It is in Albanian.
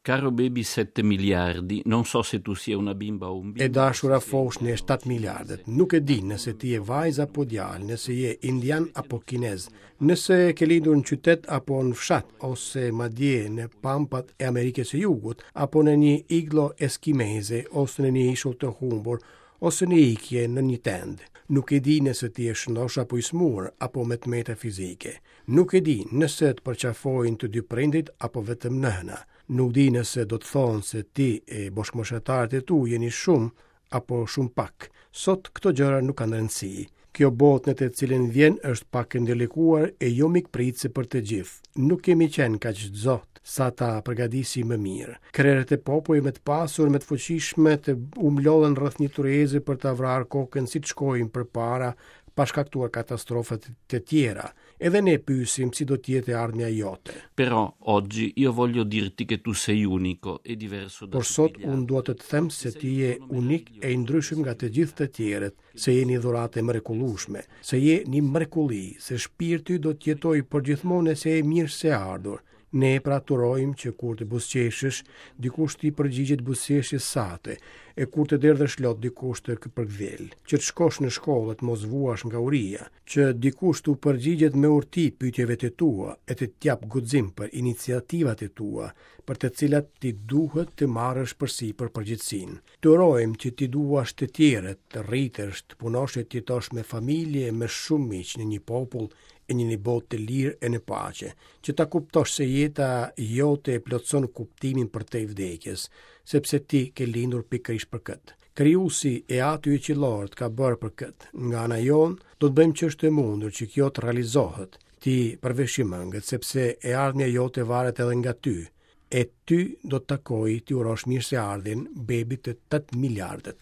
Caro baby 7 miliardi, non so se tu sia una bimba o un bimbo. E dashura foshnjë e 7 miliardët, nuk e di nëse ti je vajzë apo djalë, nëse je indian apo kinez, nëse ke lindur në qytet apo në fshat, ose madje në pampat e Amerikës së Jugut, apo në një iglo eskimeze, ose në një ishull të humbur, ose në ikje në një tendë. Nuk e di nëse ti je shëndosh apo i smur, apo me të meta fizike. Nuk e di nëse të përqafojnë të dy prindërit apo vetëm nëna. Nuk di nëse do të thonë se ti e bashkëmoshatarët e tu jeni shumë apo shumë pak. Sot këto gjëra nuk kanë rëndësi. Kjo botë në të cilën vjen është pak e ndërlikuar e jo mikpritëse për të gjithë. Nuk kemi qenë kaq të zotë sa ta përgatisim më mirë. Krerët e popujve më të pasur, më të fuqishëm të u mblodhën rreth një tryeze për ta vrarë kokën si të shkojnë përpara pa shkaktuar katastrofa të tjera. Edhe ne pyesim si do të jetë e ardhmja jote. Però oggi io voglio dirti che tu sei unico e diverso da Por sot unë dua të të them se ti je unik e i ndryshëm nga të gjithë të tjerët, se je një dhuratë e mrekullueshme, se je një mrekulli, se shpirti do të jetojë përgjithmonë e se je mirëseardhur. Ne pra të urojmë që kur të buzëqeshësh, dikush t'i përgjigjet buzëqeshjes sate, e kur të derdhësh lot dikush të përkëdhelë, që të shkosh në shkollë e të mos vuash nga uria, që dikush t'u përgjigjet me urti pyetjeve të tua e të t'japë guxim për iniciativat e tua, për të cilat ti duhet të marrësh përsipër përgjegjësinë. Të urojmë që t'i duash të tjerët, të rritesh, të punosh e të jetosh me familje e me shumë miq në një popull e në një botë të lirë e në paqe, që ta kuptosh se jeta jote e plotëson kuptimin përtej vdekjes, sepse ti ke lindur pikërisht për këtë. Krijuesi e Ati yt qiellor të ka bërë për këtë. Nga ana jonë, do të bëjmë ç'është e mundur që kjo të realizohet. Ti përveshi mëngët, sepse e ardhmja jote varet edhe nga ty. E ty do të takojë t'i urosh mirëseardhjen bebit të 8 miliardët.